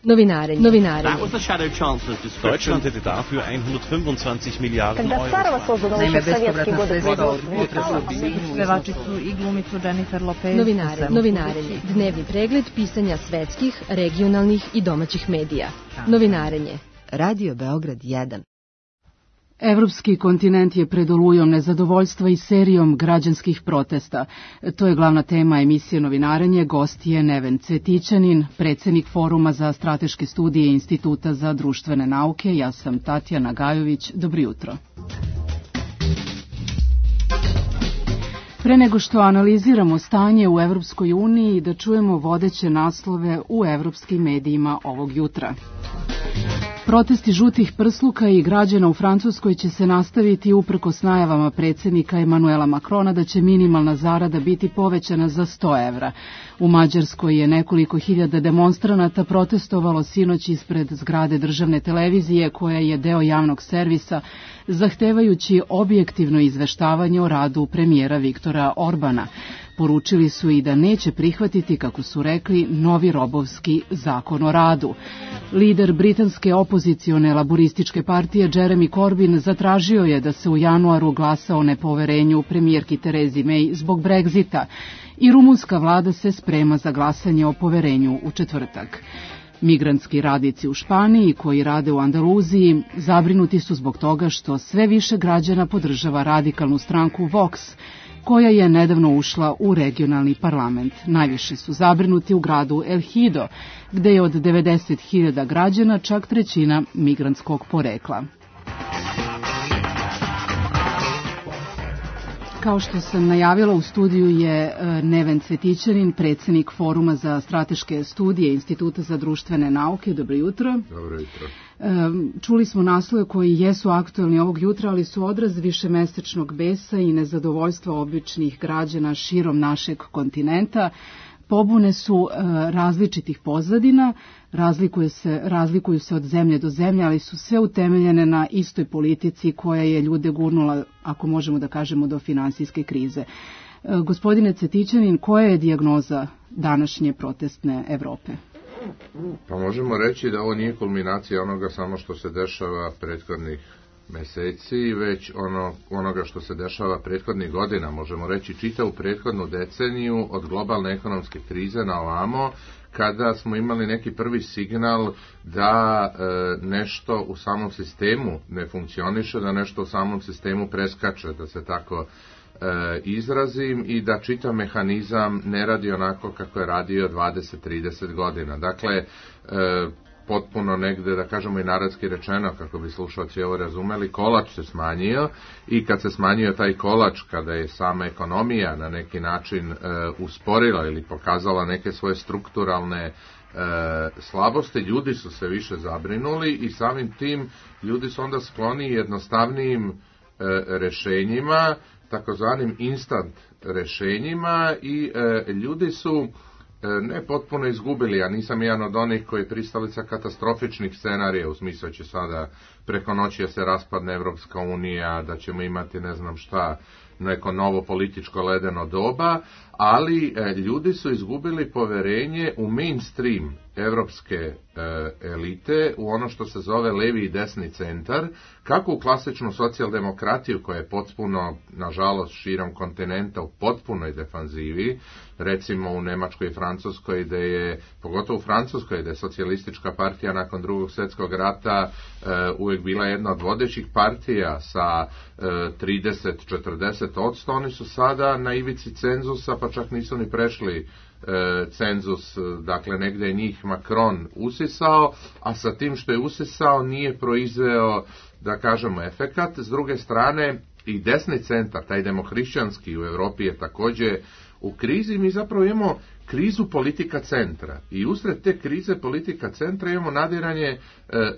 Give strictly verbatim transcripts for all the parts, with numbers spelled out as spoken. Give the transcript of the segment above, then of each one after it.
Novinarenje. Novinarenje. That was the shadow chancellor's description. Deutschland hätte dafür hundertfünfundzwanzig Milliarden Euro. Naime, bespovratna sredstva od potresa pevačicu i glumicu Jennifer Lopez. Novinarenje. Novinarenje. Dnevni pregled pisanja svetskih, regionalnih i domaćih medija. Novinarenje. Radio Beograd jedan. Evropski kontinent je pred olujom nezadovoljstva i serijom građanskih protesta. To je glavna tema emisije Novinarenje. Gost je Neven Cvetićanin, predsednik Foruma za strateške studije Instituta za društvene nauke. Ja sam Tatjana Gajović. Dobro jutro. Pre nego što analiziramo stanje u Evropskoj uniji, da čujemo vodeće naslove u evropskim medijima ovog jutra. Protesti žutih prsluka i građana u Francuskoj će se nastaviti uprkos najavama predsjednika Emanuela Macrona da će minimalna zarada biti povećana za sto evra. U Mađarskoj je nekoliko hiljada demonstranata protestovalo sinoć ispred zgrade državne televizije koja je deo javnog servisa, zahtevajući objektivno izveštavanje o radu premijera Viktora Orbana. Poručili su i da neće prihvatiti, kako su rekli, novi robovski zakon o radu. Lider britanske opozicione laborističke partije Jeremy Corbyn zatražio je da se u januaru glasa o nepoverenju premijerki Terezi May zbog Brexita i rumunska vlada se sprema za glasanje o poverenju u četvrtak. Migrantski radnici u Španiji koji rade u Andaluziji zabrinuti su zbog toga što sve više građana podržava radikalnu stranku Vox, koja je nedavno ušla u regionalni parlament. Najviše su zabrinuti u gradu El Hido, gde je od devedeset hiljada građana čak trećina migrantskog porekla. Kao što sam najavila, u studiju je Neven Cvetićanin, predsednik Foruma za strateške studije Instituta za društvene nauke. Dobro jutro. Dobro jutro. Čuli smo naslove koji jesu aktuelni ovog jutra, ali su odraz višemesečnog besa i nezadovoljstva običnih građana širom našeg kontinenta. Pobune su različitih pozadina, razlikuju se, razlikuju se od zemlje do zemlje, ali su sve utemeljene na istoj politici koja je ljude gurnula, ako možemo da kažemo, do finansijske krize. Gospodine Cvetićanin, koja je dijagnoza današnje protestne Evrope? Pa možemo reći da ovo nije kulminacija onoga samo što se dešava prethodnih meseci, već ono, onoga što se dešava prethodnih godina, možemo reći čitavu prethodnu deceniju od globalne ekonomske krize na ovamo, kada smo imali neki prvi signal da e, nešto u samom sistemu ne funkcioniše, da nešto u samom sistemu preskače, da se tako e, izrazim, i da čitav mehanizam ne radi onako kako je radio dvadeset do trideset godina. Dakle, e, potpuno negde, da kažemo i narodski rečeno, kako bi slušalci ovo razumeli, kolač se smanjio, i kad se smanjio taj kolač, kada je sama ekonomija na neki način e, usporila ili pokazala neke svoje strukturalne e, slabosti, ljudi su se više zabrinuli i samim tim ljudi su onda skloni jednostavnijim e, rešenjima, takozvanim instant rešenjima, i e, ljudi su ne potpuno izgubili. Ja nisam jedan od onih koji je pristalica katastrofičnih scenarija, u smislu će sada preko noći da se raspadne Evropska unija, da ćemo imati ne znam šta, neko novo političko ledeno doba, ali e, ljudi su izgubili poverenje u mainstream evropske e, elite, u ono što se zove levi i desni centar, kako u klasičnu socijaldemokratiju koja je potpuno, nažalost, širom kontinenta u potpunoj defanzivi, recimo u Nemačkoj i Francuskoj, gde je, pogotovo u Francuskoj, gde je socijalistička partija nakon drugog svjetskog rata e, uvijek bila jedna od vodećih partija sa e, trideset do četrdeset odsto, oni su sada na ivici cenzusa, pa čak nisu ni prešli e, cenzus, dakle negde je njih Macron usisao, a sa tim što je usisao nije proizveo, da kažemo, efekat. S druge strane, i desni centar, taj demohrišćanski u Evropi je također u krizi. Mi zapravo imamo krizu politika centra i usred te krize politika centra imamo nadiranje e,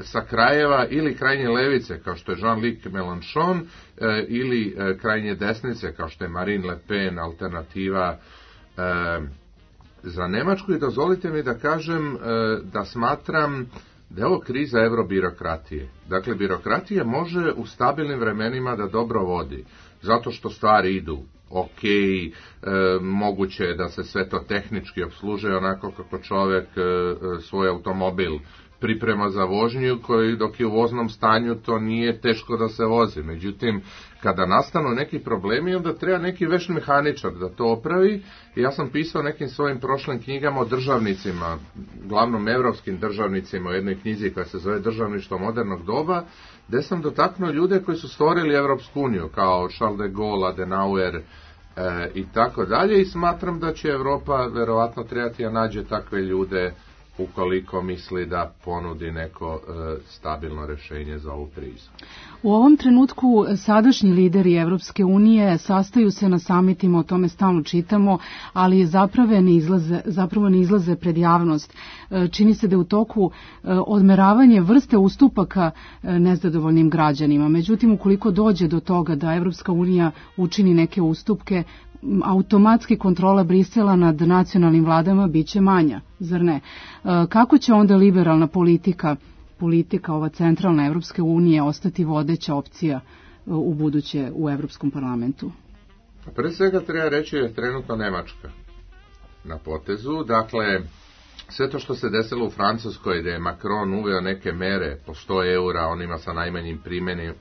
sa krajeva ili krajnje levice kao što je Jean-Luc Mélenchon e, ili e, krajnje desnice kao što je Marine Le Pen, alternativa e, za Nemačku. I dozvolite mi da kažem e, da smatram da je ovo kriza eurobirokratije. Dakle, birokratija može u stabilnim vremenima da dobro vodi, zato što stvari idu ok, e, moguće je da se sve to tehnički opslužuje onako kako čovjek e, svoj automobil priprema za vožnju, koji dok je u voznom stanju to nije teško da se vozi. Međutim, kada nastanu neki problemi, onda treba neki veš mehaničar da to opravi. I ja sam pisao nekim svojim prošlim knjigama o državnicima, glavnom evropskim državnicima, u jednoj knjizi koja se zove Državništvo modernog doba, gde sam dotaknuo ljude koji su stvorili Evropsku uniju, kao Charles de Gaulle, Adenauer e, i tako dalje, i smatram da će Evropa verovatno trebati da nađe takve ljude ukoliko misli da ponudi neko e, stabilno rešenje za ovu krizu. U ovom trenutku sadašnji lideri Evropske unije sastaju se na samitima, o tome stalno čitamo, ali zapravo ne izlaze, zapravo ne izlaze pred javnost. E, čini se da je u toku e, odmeravanje vrste ustupaka e, nezadovoljnim građanima. Međutim, ukoliko dođe do toga da Evropska unija učini neke ustupke, automatski kontrola Brisela nad nacionalnim vladama biće manja, zar ne? Kako će onda liberalna politika, politika ova centralna Evropske unije ostati vodeća opcija u buduće u Evropskom parlamentu? Pre svega treba reći da je trenutno Nemačka na potezu. Dakle, sve to što se desilo u Francuskoj, gde je Macron uveo neke mere po sto eura, onima sa najmanjim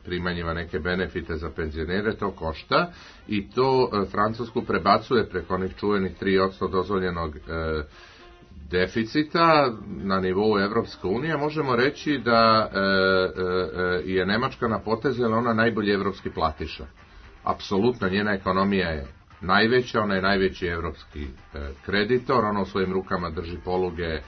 primanjima neke benefite za penzionere, to košta i to e, Francusku prebacuje preko onih čuvenih tri posto dozvoljenog e, deficita na nivou Evropske unije. Možemo reći da e, e, je Nemačka na potezu, jer ona najbolji evropski platiša. Apsolutno, njena ekonomija je najveća, ona je najveći evropski e, kreditor, ona u svojim rukama drži poluge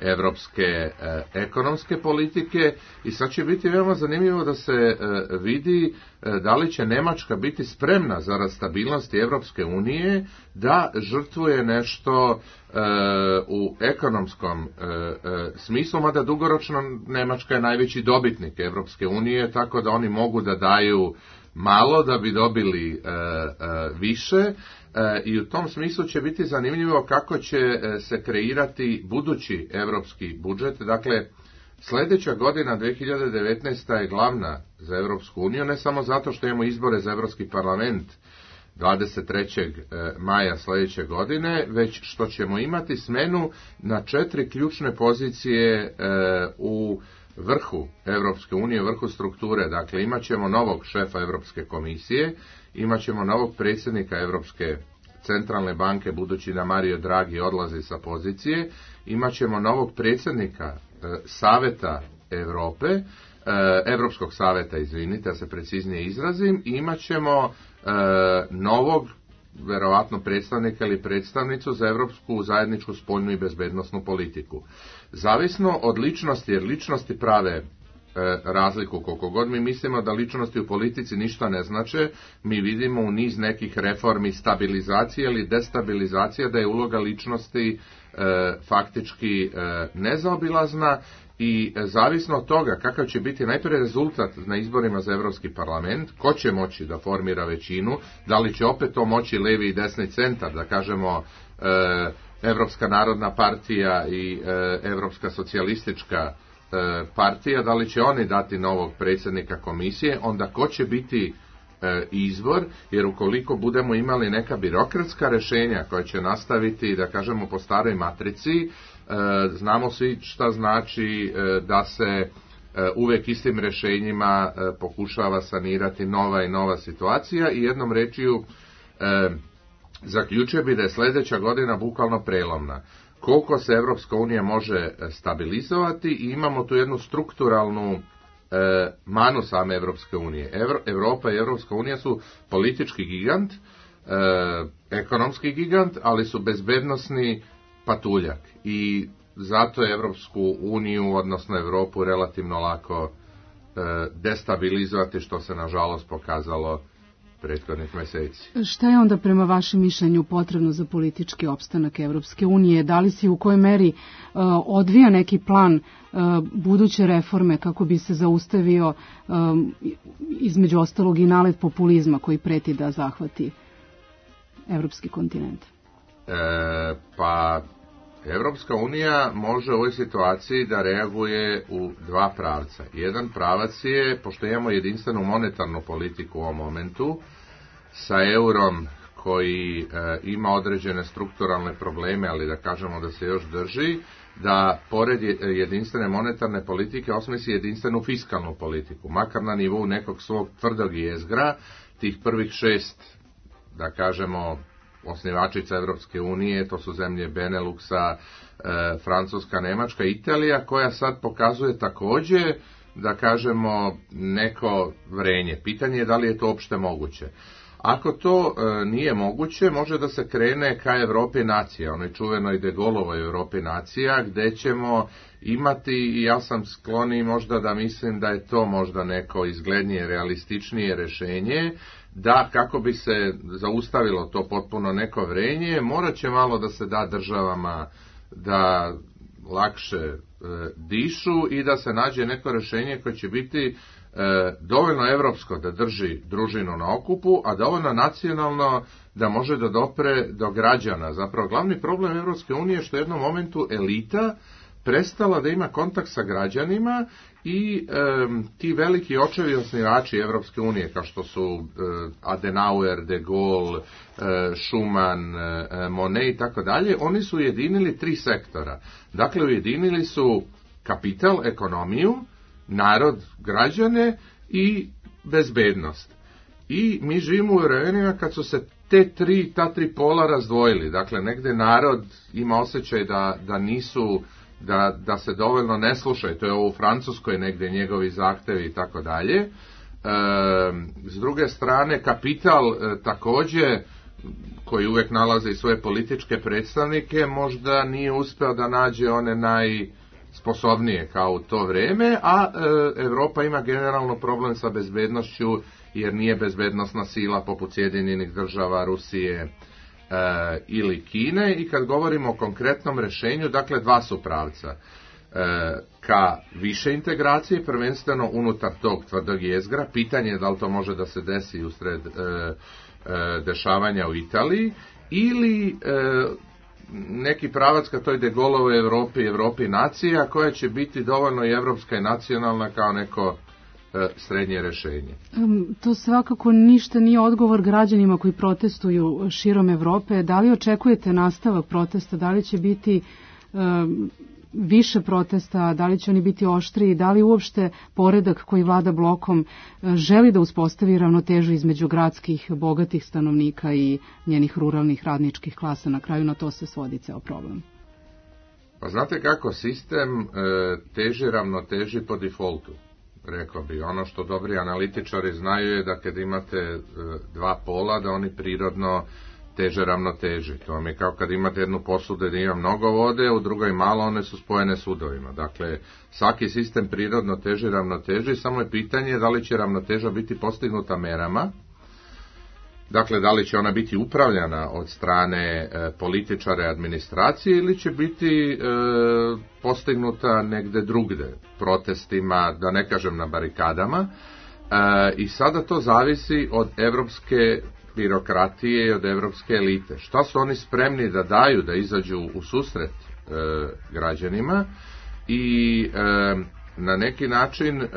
evropske e, ekonomske politike i sad će biti veoma zanimljivo da se e, vidi e, da li će Nemačka biti spremna zarad stabilnosti Evropske unije da žrtvuje nešto e, u ekonomskom e, e, smislu, mada dugoročno Nemačka je najveći dobitnik Evropske unije, tako da oni mogu da daju malo da bi dobili e, e, više e, i u tom smislu će biti zanimljivo kako će e, se kreirati budući evropski budžet. Dakle, sljedeća godina dve hiljade devetnaesta je glavna za Evropsku uniju, ne samo zato što imamo izbore za Evropski parlament dvadeset trećeg maja sljedeće godine, već što ćemo imati smenu na četiri ključne pozicije e, u vrhu Evropske unije, vrhu strukture. Dakle, imat ćemo novog šefa Evropske komisije, imat ćemo novog predsjednika Evropske centralne banke, budući da Mario Draghi odlazi sa pozicije, imat ćemo novog predsjednika e, Saveta Evrope, e, Evropskog saveta, izvinite, da se preciznije izrazim, i imat ćemo e, novog, verovatno predstavnika ili predstavnicu za evropsku zajedničku spoljnu i bezbednosnu politiku. Zavisno od ličnosti, jer ličnosti prave e, razliku, koliko god mi mislimo da ličnosti u politici ništa ne znače, mi vidimo u niz nekih reformi stabilizacije ili destabilizacije da je uloga ličnosti e, faktički e, nezaobilazna. I zavisno od toga kakav će biti najprije rezultat na izborima za Evropski parlament, ko će moći da formira većinu, da li će opet to moći levi i desni centar, da kažemo e, Evropska narodna partija i e, Evropska socijalistička e, partija, da li će oni dati novog predsjednika komisije, onda ko će biti e, izbor, jer ukoliko budemo imali neka birokratska rešenja koja će nastaviti, da kažemo, po staroj matrici, znamo svi šta znači da se uvek istim rešenjima pokušava sanirati nova i nova situacija i jednom rečju zaključio bi da je sljedeća godina bukvalno prelomna. Koliko se Evropska unija može stabilizovati i imamo tu jednu strukturalnu manu same Evropske unije. Evropa i Evropska unija su politički gigant, ekonomski gigant, ali su bezbednosni patuljak i zato je Evropsku uniju, odnosno Evropu, relativno lako e, destabilizovati, što se nažalost pokazalo prethodnih meseci. Šta je onda prema vašem mišljenju potrebno za politički opstanak Evropske unije? Da li se u kojoj meri e, odvija neki plan e, buduće reforme kako bi se zaustavio e, između ostalog i nalet populizma koji preti da zahvati evropski kontinent? E, pa Evropska unija može u ovoj situaciji da reaguje u dva pravca. Jedan pravac je, pošto imamo jedinstvenu monetarnu politiku u ovom momentu, sa eurom koji e, ima određene strukturalne probleme, ali da kažemo da se još drži, da pored jedinstvene monetarne politike osmisli jedinstvenu fiskalnu politiku, makar na nivou nekog svog tvrdog jezgra, tih prvih šest, da kažemo, osnivačica Evropske unije, to su zemlje Beneluxa, e, Francuska, Nemačka, Italija, koja sad pokazuje također, da kažemo, neko vrenje. Pitanje je da li je to uopšte moguće. Ako to e, nije moguće, može da se krene ka Evropi nacija, onoj čuvenoj De Gaullovoj Evropi nacija, gde ćemo imati, i ja sam skloni možda da mislim da je to možda neko izglednije, realističnije rešenje, da kako bi se zaustavilo to potpuno neko vrenje, morat će malo da se da državama da lakše e, dišu i da se nađe neko rešenje koje će biti e, dovoljno evropsko da drži družinu na okupu, a dovoljno nacionalno da može da dopre do građana. Zapravo glavni problem Evropske unije je što u jednom momentu elita prestala da ima kontakt sa građanima i e, ti veliki očevi osnivači Evropske unije, kao što su e, Adenauer, De Gaulle, e, Schuman, e, Monnet i tako dalje, oni su ujedinili tri sektora. Dakle, ujedinili su kapital, ekonomiju, narod, građane i bezbednost. I mi živimo u vremenima kad su se te tri, ta tri pola razdvojili. Dakle, negde narod ima osjećaj da, da nisu Da, da se dovoljno ne slušaju, to je ovo u Francuskoj negde njegovi zahtevi i tako dalje. E, s druge strane, kapital e, također, koji uvijek nalaze i svoje političke predstavnike, možda nije uspeo da nađe one najsposobnije kao u to vreme, a e, Evropa ima generalno problem sa bezbednošću, jer nije bezbednosna sila poput Sjedinjenih država, Rusije, E, ili Kine, i kad govorimo o konkretnom rešenju, dakle dva su pravca. E, ka više integracije, prvenstveno unutar tog tvrdog jezgra, pitanje je da li to može da se desi usred e, e, dešavanja u Italiji, ili e, neki pravac ka toj De Gaullovoj Evropi, Evropi nacija, koja će biti dovoljno i evropska i nacionalna kao neko srednje rešenje. To svakako ništa nije odgovor građanima koji protestuju širom Evrope. Da li očekujete nastavak protesta? Da li će biti um, više protesta? Da li će oni biti oštriji? Da li uopšte poredak koji vlada blokom želi da uspostavi ravnotežu između gradskih, bogatih stanovnika i njenih ruralnih radničkih klasa? Na kraju na to se svodi ceo problem. Pa znate kako, sistem e, teži ravnoteži po defaultu. Rekao bi, ono što dobri analitičari znaju je da kad imate e, dva pola, da oni prirodno teže ravnoteži. To vam je kao kad imate jednu posudu da ima mnogo vode, u drugoj malo, one su spojene sudovima. Dakle, svaki sistem prirodno teži ravnoteži, samo je pitanje da li će ravnoteža biti postignuta merama. Dakle, da li će ona biti upravljana od strane e, političara i administracije, ili će biti e, postignuta negde drugde, protestima, da ne kažem na barikadama. E, I sada to zavisi od evropske birokratije i od evropske elite. Šta su oni spremni da daju, da izađu u susret e, građanima i e, na neki način, e,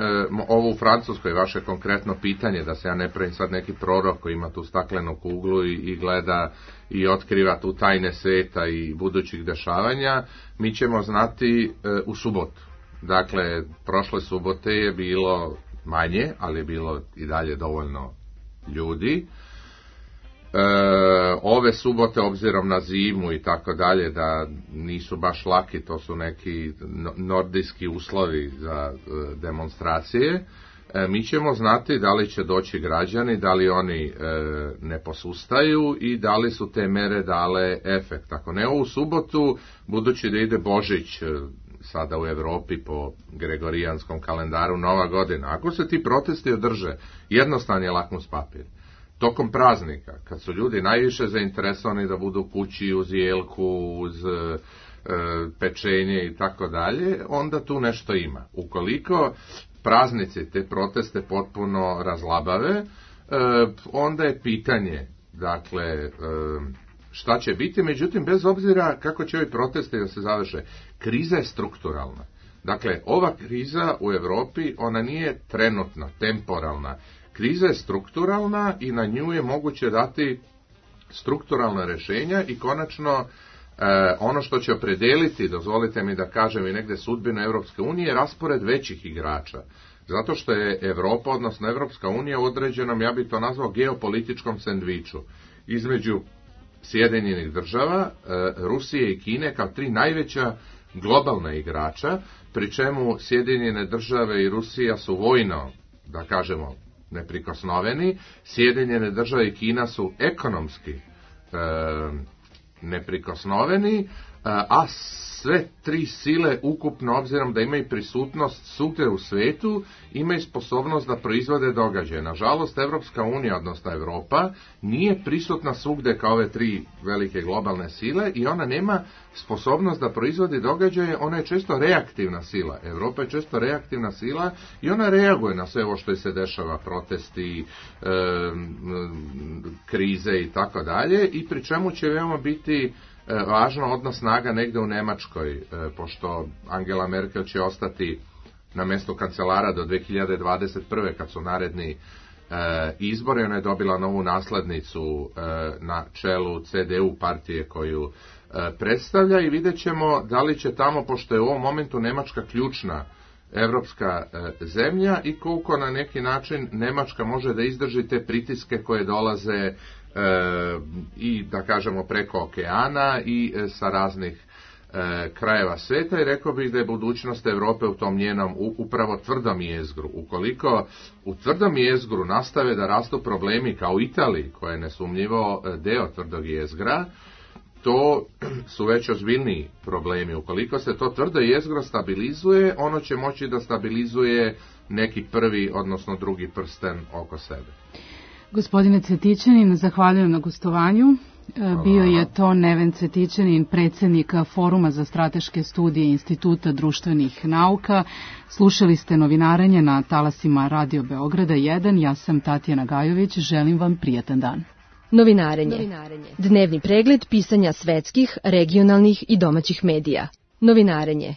ovo u Francuskoj, vaše konkretno pitanje, da se ja ne pravim sad neki prorok koji ima tu staklenu kuglu i, i gleda i otkriva tu tajne sveta i budućih dešavanja, mi ćemo znati e, u subotu. Dakle, prošle subote je bilo manje, ali je bilo i dalje dovoljno ljudi. E, ove subote, obzirom na zimu i tako dalje, da nisu baš laki, to su neki nordijski uslovi za e, demonstracije, e, mi ćemo znati da li će doći građani, da li oni e, ne posustaju i da li su te mere dale efekt. Ako ne ovu subotu, budući da ide Božić e, sada u Evropi po gregorijanskom kalendaru, Nova godina, ako se ti protesti održe, jednostavan je lakmus papir. Tokom praznika, kad su ljudi najviše zainteresovani da budu kući uz jelku, uz e, pečenje i tako dalje, onda tu nešto ima. Ukoliko praznici te proteste potpuno razlabave, e, onda je pitanje, dakle, e, šta će biti, međutim, bez obzira kako će ovi protesti da se završe, kriza je strukturalna. Dakle, ova kriza u Evropi, ona nije trenutna, temporalna. Kriza je strukturalna i na nju je moguće dati strukturalna rješenja i konačno E, ono što će opredeliti, dozvolite mi da kažem i negde sudbinu Evropske unije, je raspored većih igrača. Zato što je Evropa, odnosno Evropska unija u određenom, ja bih to nazvao, geopolitičkom sendviču između Sjedinjenih država, e, Rusije i Kine kao tri najveća globalna igrača, pri čemu Sjedinjene države i Rusija su vojno, da kažemo, neprikosnoveni, Sjedinjene države i Kina su ekonomski e, neprikosnoveni, a sve tri sile ukupno, obzirom da imaju prisutnost svugdje u svetu, imaju sposobnost da proizvode događaje. Nažalost, Evropska unija, odnosno Evropa, nije prisutna svugdje kao ove tri velike globalne sile i ona nema sposobnost da proizvodi događaje, ona je često reaktivna sila. Evropa je često reaktivna sila i ona reaguje na sve ovo što se dešava, protesti, e, krize i tako dalje, i pri čemu će veoma biti važno odnos snaga negde u Nemačkoj, pošto Angela Merkel će ostati na mjestu kancelara do dve hiljade dvadeset prve kad su naredni izbori. Ona je dobila novu naslednicu na čelu C D U partije koju predstavlja i vidjet ćemo da li će tamo, pošto je u ovom momentu Nemačka ključna evropska zemlja, i koliko na neki način Nemačka može da izdrži te pritiske koje dolaze E, i da kažemo preko okeana i e, sa raznih e, krajeva sveta, i rekao bih da je budućnost Europe u tom njenom u, upravo tvrdom jezgru. Ukoliko u tvrdom jezgru nastave da rastu problemi kao u Italiji, koja je nesumnjivo deo tvrdog jezgra, to su već ozbiljniji problemi. Ukoliko se to tvrdo jezgro stabilizuje, ono će moći da stabilizuje neki prvi, odnosno drugi prsten oko sebe. Gospodine Cvetićanin, zahvaljujem na gostovanju. Bio je to Neven Cvetićanin, predsjednik Foruma za strateške studije Instituta društvenih nauka. Slušali ste Novinarenje na talasima Radio Beograda jedan. Ja sam Tatjana Gajović. Želim vam prijatan dan. Novinarenje. Dnevni pregled pisanja svetskih, regionalnih i domaćih medija. Novinarenje.